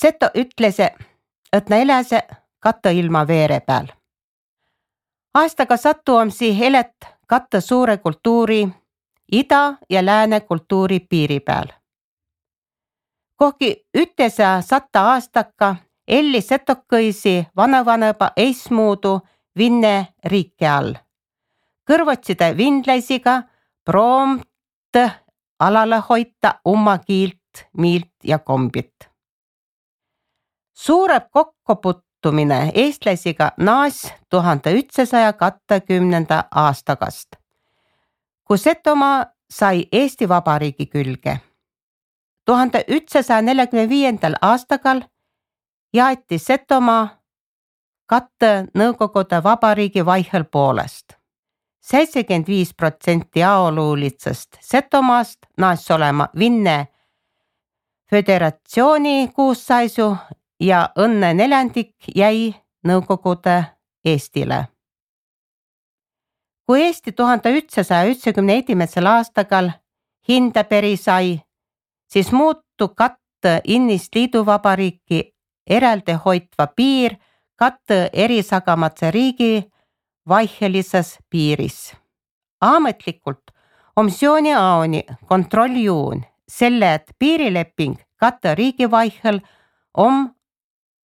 Seto ütles, et na eläse katta ilma veere peal. Aastaga sattuamsi elet katta suure kultuuri, ida ja lääne kultuuri piiri peal. Kohki ütesa 100 aastaka elli setokõisi vanavaneba eismuudu Vinne riike all. Kõrvotside vindlaisiga proomt alale hoita oma kiilt, miilt ja kombit. Suureb kokkoputtumine eestlaisiga naas 1920. aastakast, kui Setomaa sai Eesti Vabariigi külge. 1945. aastakal jaeti Setomaa katte Nõukogude Vabariigi vaihel poolest. 75% aoluulitsest Setomaast naas olema Vinne föderatsiooni koosseisu ja õnne neljandik jäi Nõukogude Eestile. Kui Eesti 1991. aastakal hinda peri sai, siis muutu katte innist liiduvabariiki eraldi hoitva piir katte erisagamatse riigi vaihelises piiris. Ametlikult on Sioni aoni kontrolljuun selle, et piirileping katte riigi vaihel on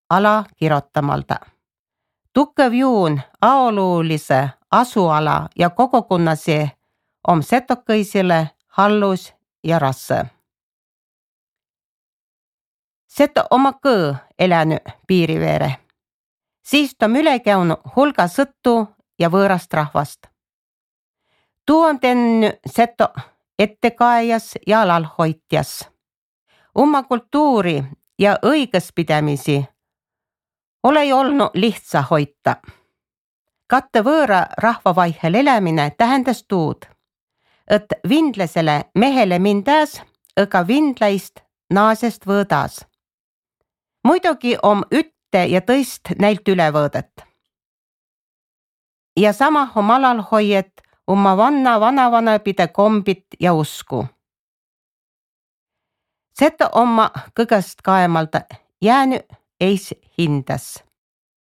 ala kirjotamalda. Tukev juun aoluulise asuala ja kogukonnasi on setokõisile hallus ja rasse. Seto oma kõõ elänyt piiriveere. Siis on üle käinud hulga sõttu ja võõrast rahvast. Tuu on tennyt seto ettekaejas ja alalhoitjas. Oma kultuuri ja õigespidamisi ole olnud lihtsa hoita. Katte võõra rahva vaihel elämine tähendas tuud, et vindlasele mehele mindas ega vindlaist naasest võõdas. Muidugi on ütte ja tõist näilt üle võõdet. Ja sama on alalhoiet oma vanavanapide kombit ja usku. Seto oma kõgest kaemalda jäänyt eis hindas.